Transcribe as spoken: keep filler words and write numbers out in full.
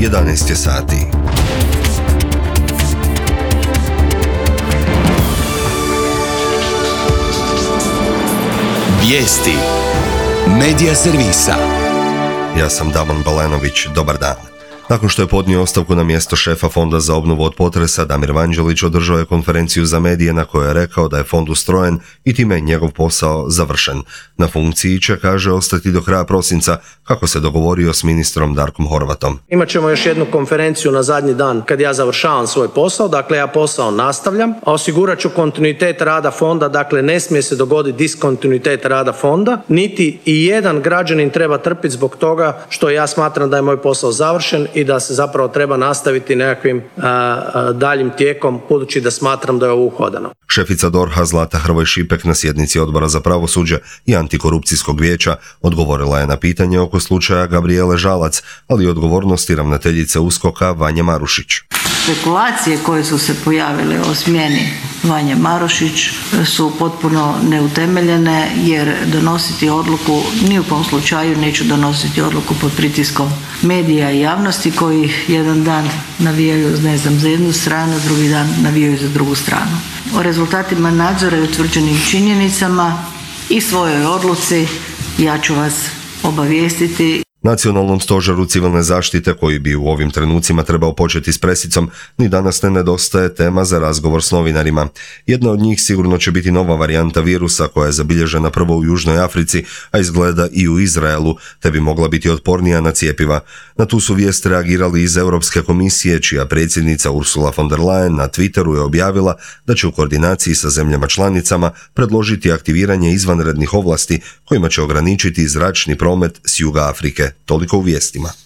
jedanaest je sati. Vijesti Medija servisa. Ja sam Damon Balenović, dobar dan. Nakon što je podnio ostavku na mjesto šefa Fonda za obnovu od potresa, Damir Vanđelić održao je konferenciju za medije na kojoj je rekao da je fond ustrojen i time je njegov posao završen. Na funkciji će, kaže, ostati do kraja prosinca, kako se dogovorio s ministrom Darkom Horvatom. Imat ćemo još jednu konferenciju na zadnji dan kad ja završavam svoj posao, dakle ja posao nastavljam, a osigurat ću kontinuitet rada fonda, dakle ne smije se dogoditi diskontinuitet rada fonda, niti i jedan građanin treba trpiti zbog toga što ja smatram da je moj posao završen i da se zapravo treba nastaviti nekakvim a, a, daljim tijekom, budući da smatram da je ovo uhodano. Šefica D O R H-a Zlata Hrvoj Šipek na sjednici Odbora za pravosuđe i antikorupcijskog vijeća odgovorila je na pitanje oko slučaja Gabrijele Žalac, ali i odgovornosti ravnateljice U S K O K-a Vanje Marušić. Spekulacije koje su se pojavile o smjeni Vanje Marušić su potpuno neutemeljene, jer donositi odluku, ni u kom slučaju neću donositi odluku pod pritiskom medija i javnosti koji jedan dan navijaju, ne znam, za jednu stranu, drugi dan navijaju za drugu stranu. O rezultatima nadzora i utvrđenim činjenicama i svojoj odluci ja ću vas obavijestiti. Nacionalnom stožeru civilne zaštite, koji bi u ovim trenucima trebao početi s presicom, ni danas ne nedostaje tema za razgovor s novinarima. Jedna od njih sigurno će biti nova varijanta virusa koja je zabilježena prvo u Južnoj Africi, a izgleda i u Izraelu, te bi mogla biti otpornija na cjepiva. Na tu su vijest reagirali iz Europske komisije, čija predsjednica Ursula von der Leyen na Twitteru je objavila da će u koordinaciji sa zemljama članicama predložiti aktiviranje izvanrednih ovlasti kojima će ograničiti zračni promet s juga Afrike. Toliko u vijestima.